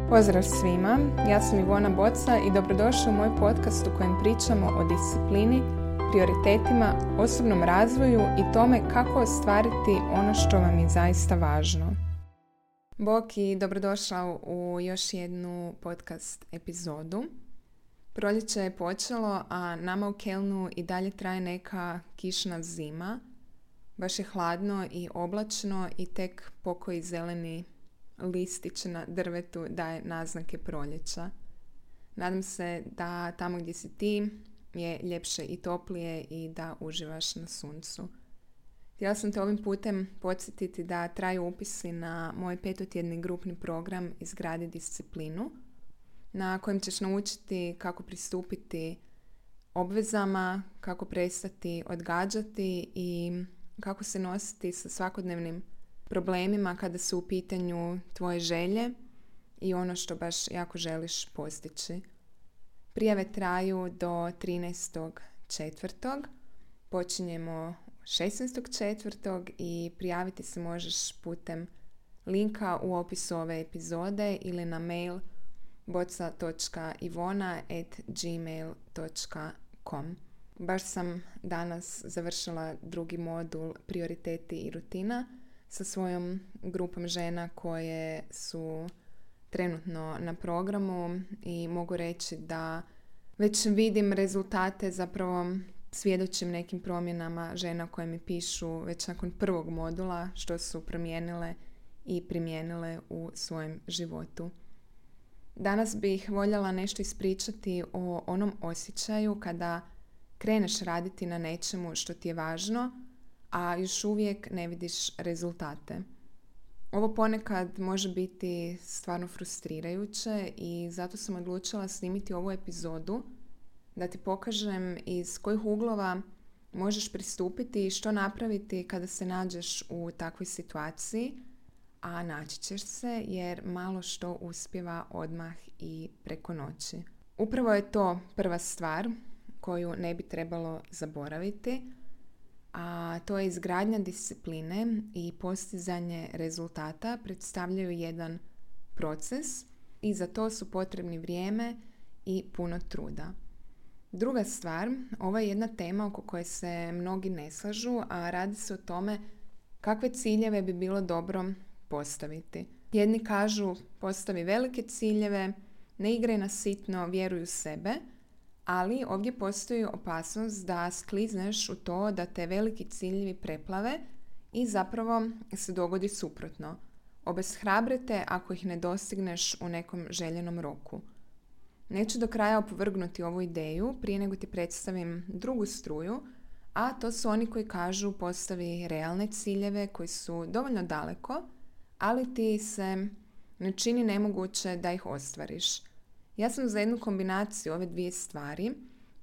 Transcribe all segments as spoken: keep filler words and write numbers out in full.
Pozdrav svima, ja sam Ivona Boca i dobrodošli u moj podcast u kojem pričamo o disciplini, prioritetima, osobnom razvoju i tome kako ostvariti ono što vam je zaista važno. Bok i dobrodošao u još jednu podcast epizodu. Proljeće je počelo, a nama u Kelnu i dalje traje neka kišna zima. Baš je hladno i oblačno i tek pokoji zeleni listić na drvetu daje naznake proljeća. Nadam se da tamo gdje si ti je ljepše i toplije i da uživaš na suncu. Htjela sam te ovim putem podsjetiti da traju upisi na moj petotjedni grupni program Izgradi disciplinu, na kojem ćeš naučiti kako pristupiti obvezama, kako prestati odgađati i kako se nositi sa svakodnevnim problemima kada su u pitanju tvoje želje i ono što baš jako želiš postići. Prijave traju do trinaestog četvrtog Počinjemo šesnaestog četvrtog i prijaviti se možeš putem linka u opisu ove epizode ili na mail boca točka ivona at gmail točka com. Baš sam danas završila drugi modul Prioriteti i rutina sa svojom grupom žena koje su trenutno na programu i mogu reći da već vidim rezultate, zapravo svjedočim nekim promjenama žena koje mi pišu već nakon prvog modula što su promijenile i primijenile u svojem životu. Danas bih voljela nešto ispričati o onom osjećaju kada kreneš raditi na nečemu što ti je važno, a još uvijek ne vidiš rezultate. Ovo ponekad može biti stvarno frustrirajuće i zato sam odlučila snimiti ovu epizodu da ti pokažem iz kojih uglova možeš pristupiti i što napraviti kada se nađeš u takvoj situaciji, a naći ćeš se jer malo što uspijeva odmah i preko noći. Upravo je to prva stvar koju ne bi trebalo zaboraviti, a to je izgradnja discipline i postizanje rezultata predstavljaju jedan proces i za to su potrebni vrijeme i puno truda. Druga stvar, ovo je jedna tema oko koje se mnogi ne slažu, a radi se o tome kakve ciljeve bi bilo dobro postaviti. Jedni kažu postavi velike ciljeve, ne igraj na sitno, vjeruj u sebe, ali ovdje postoji opasnost da sklizneš u to da te veliki ciljevi preplave i zapravo se dogodi suprotno. Obeshrabre te ako ih ne dostigneš u nekom željenom roku. Neću do kraja opovrgnuti ovu ideju prije nego ti predstavim drugu struju, a to su oni koji kažu postavi realne ciljeve koji su dovoljno daleko, ali ti se ne čini nemoguće da ih ostvariš. Ja sam za jednu kombinaciju ove dvije stvari.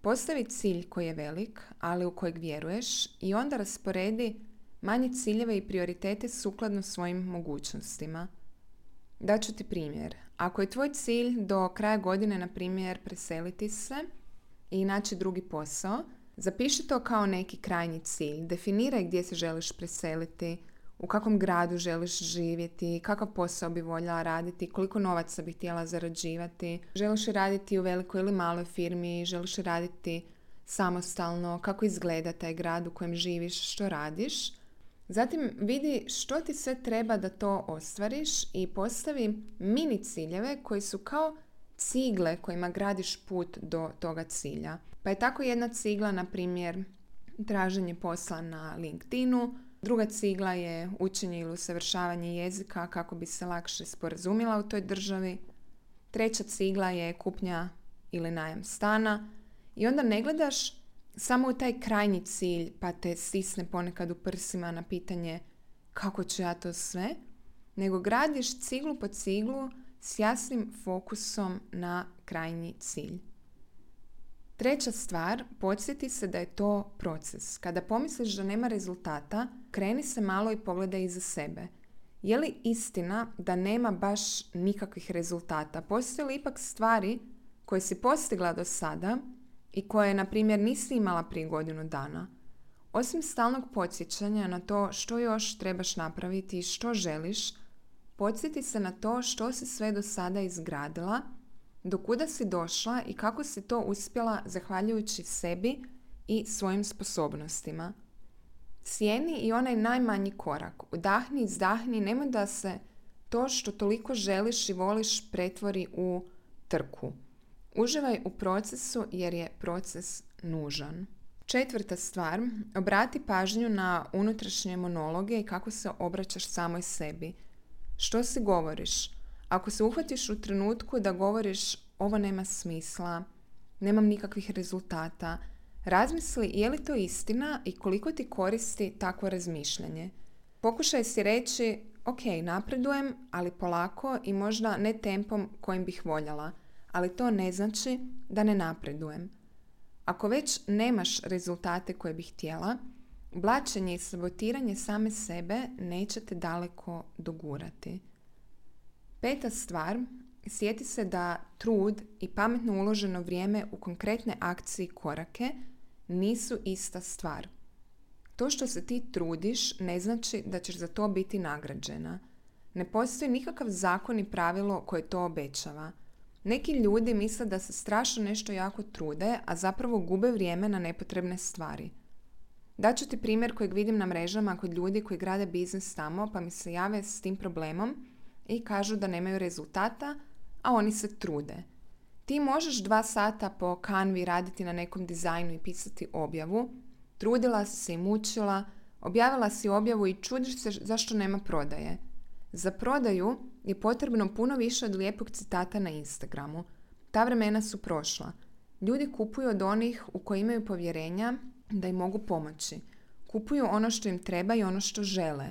Postavi cilj koji je velik, ali u kojeg vjeruješ i onda rasporedi manje ciljeve i prioritete sukladno svojim mogućnostima. Daću ti primjer. Ako je tvoj cilj do kraja godine, na primjer, preseliti se i naći drugi posao, zapiši to kao neki krajnji cilj. Definiraj gdje se želiš preseliti, u kakvom gradu želiš živjeti, kakav posao bi voljela raditi, koliko novaca bi htjela zarađivati, želiš raditi u velikoj ili maloj firmi, želiš raditi samostalno, kako izgleda taj grad u kojem živiš, što radiš. Zatim vidi što ti sve treba da to ostvariš i postavi mini ciljeve koji su kao cigle kojima gradiš put do toga cilja. Pa je tako jedna cigla, na primjer, traženje posla na LinkedInu, druga cigla je učenje ili usavršavanje jezika kako bi se lakše sporazumila u toj državi. Treća cigla je kupnja ili najam stana. I onda ne gledaš samo u taj krajnji cilj pa te stisne ponekad u prsima na pitanje kako ću ja to sve, nego gradiš ciglu po ciglu s jasnim fokusom na krajnji cilj. Treća stvar, podsjeti se da je to proces. Kada pomisliš da nema rezultata, kreni se malo i pogledaj iza sebe. Je li istina da nema baš nikakvih rezultata? Postoje li ipak stvari koje si postigla do sada i koje, na primjer, nisi imala prije godinu dana? Osim stalnog podsjećanja na to što još trebaš napraviti i što želiš, Podsjeti se na to što si sve do sada izgradila, do kuda si došla i kako si to uspjela zahvaljujući sebi i svojim sposobnostima. Cijeni i onaj najmanji korak. Udahni, izdahni, nemoj da se to što toliko želiš i voliš pretvori u trku. Uživaj u procesu jer je proces nužan. Četvrta stvar, obrati pažnju na unutrašnje monologe i kako se obraćaš samoj sebi. Što si govoriš? Ako se uhvatiš u trenutku da govoriš ovo nema smisla, nemam nikakvih rezultata, razmisli je li to istina i koliko ti koristi takvo razmišljanje. Pokušaj si reći, ok, napredujem, ali polako i možda ne tempom kojim bih voljela, ali to ne znači da ne napredujem. Ako već nemaš rezultate koje bih htjela, blaćenje i sabotiranje same sebe neće te daleko dogurati. Peta stvar, sjeti se da trud i pametno uloženo vrijeme u konkretne akcije i korake nisu ista stvar. To što se ti trudiš ne znači da ćeš za to biti nagrađena. Ne postoji nikakav zakon i pravilo koje to obećava. Neki ljudi misle da se strašno nešto jako trude, a zapravo gube vrijeme na nepotrebne stvari. Daću ti primjer kojeg vidim na mrežama kod ljudi koji grade biznis tamo, pa mi se jave s tim problemom i kažu da nemaju rezultata, a oni se trude. Ti možeš dva sata po Canvi raditi na nekom dizajnu i pisati objavu, trudila si se i mučila, objavila si objavu i čudiš se zašto nema prodaje. Za prodaju je potrebno puno više od lijepog citata na Instagramu. Ta vremena su prošla. Ljudi kupuju od onih u koji imaju povjerenja da im mogu pomoći. Kupuju ono što im treba i ono što žele.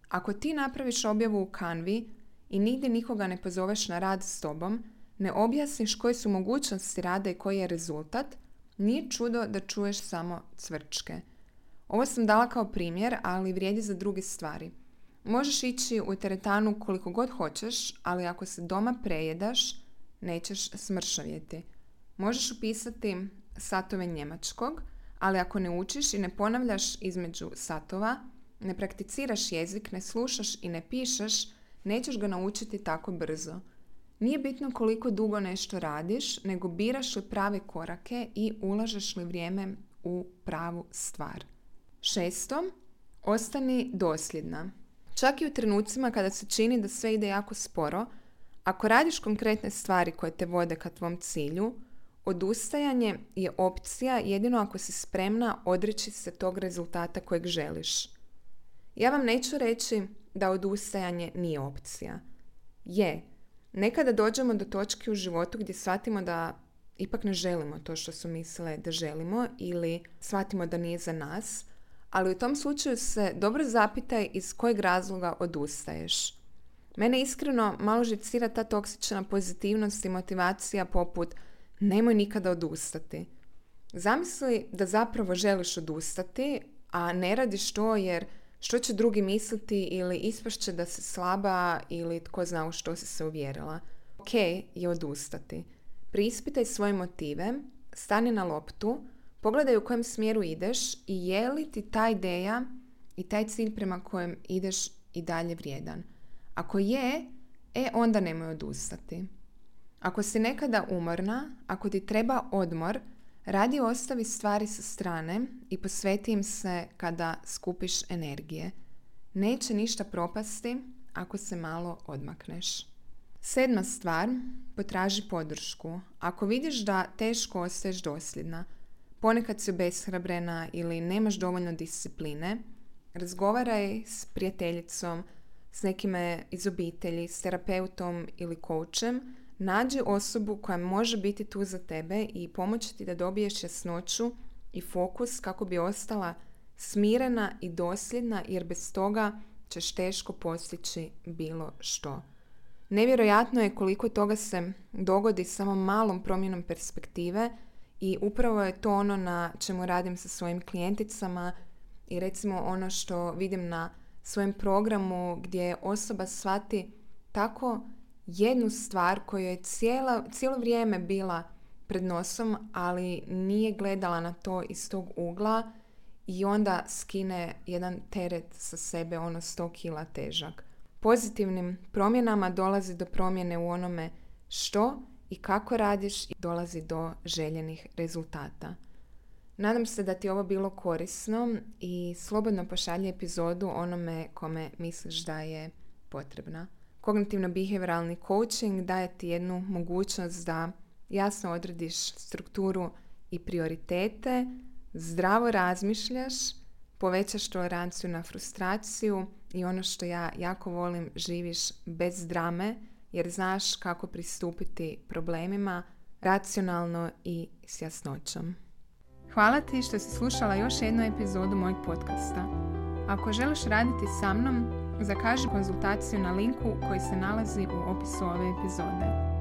Ako ti napraviš objavu u Canvi i nigdje nikoga ne pozoveš na rad s tobom, ne objasniš koje su mogućnosti rada i koji je rezultat, nije čudo da čuješ samo cvrčke. Ovo sam dala kao primjer, ali vrijedi za druge stvari. Možeš ići u teretanu koliko god hoćeš, ali ako se doma prejedaš, nećeš smršavjeti. Možeš upisati satove njemačkog, ali ako ne učiš i ne ponavljaš između satova, ne prakticiraš jezik, ne slušaš i ne pišeš, nećeš ga naučiti tako brzo. Nije bitno koliko dugo nešto radiš, nego biraš li prave korake i ulažeš li vrijeme u pravu stvar. Šesto, ostani dosljedna. Čak i u trenucima kada se čini da sve ide jako sporo, ako radiš konkretne stvari koje te vode ka tvom cilju, odustajanje je opcija jedino ako si spremna odreći se tog rezultata kojeg želiš. Ja vam neću reći da odustajanje nije opcija. Je, nekada dođemo do točke u životu gdje shvatimo da ipak ne želimo to što su mislile da želimo ili shvatimo da nije za nas, ali u tom slučaju se dobro zapitaj iz kojeg razloga odustaješ. Mene iskreno malo živcira ta toksična pozitivnost i motivacija poput nemoj nikada odustati. Zamisli da zapravo želiš odustati, a ne radiš to jer što će drugi misliti ili ispašće da si slaba ili tko zna u što si se uvjerila. Ok je odustati. Preispitaj svoje motive, stani na loptu, pogledaj u kojem smjeru ideš i je li ti ta ideja i taj cilj prema kojem ideš i dalje vrijedan. Ako je, e onda nemoj odustati. Ako si nekada umorna, ako ti treba odmor, radi ostavi stvari sa strane i posveti im se kada skupiš energije. Neće ništa propasti ako se malo odmakneš. Sedma stvar, potraži podršku. Ako vidiš da teško ostaješ dosljedna, ponekad si obeshrabrena ili nemaš dovoljno discipline, razgovaraj s prijateljicom, s nekime iz obitelji, s terapeutom ili coachem, nađi osobu koja može biti tu za tebe i pomoći ti da dobiješ jasnoću i fokus kako bi ostala smirena i dosljedna, jer bez toga ćeš teško postići bilo što. Nevjerojatno je koliko toga se dogodi samo malom promjenom perspektive i upravo je to ono na čemu radim sa svojim klijenticama i recimo ono što vidim na svojem programu gdje osoba shvati tako jednu stvar koja je cijela, cijelo vrijeme bila pred nosom, ali nije gledala na to iz tog ugla i onda skine jedan teret sa sebe, ono sto kila težak. pozitivnim promjenama dolazi do promjene u onome što i kako radiš i dolazi do željenih rezultata. Nadam se da ti je ovo bilo korisno i slobodno pošalji epizodu onome kome misliš da je potrebna. Kognitivno-behavioralni coaching daje ti jednu mogućnost da jasno odrediš strukturu i prioritete, zdravo razmišljaš, povećaš toleranciju na frustraciju i ono što ja jako volim, živiš bez drame jer znaš kako pristupiti problemima racionalno i s jasnoćom. Hvala ti što si slušala još jednu epizodu mojeg podcasta. Ako želiš raditi sa mnom, zakaži konzultaciju na linku koji se nalazi u opisu ove epizode.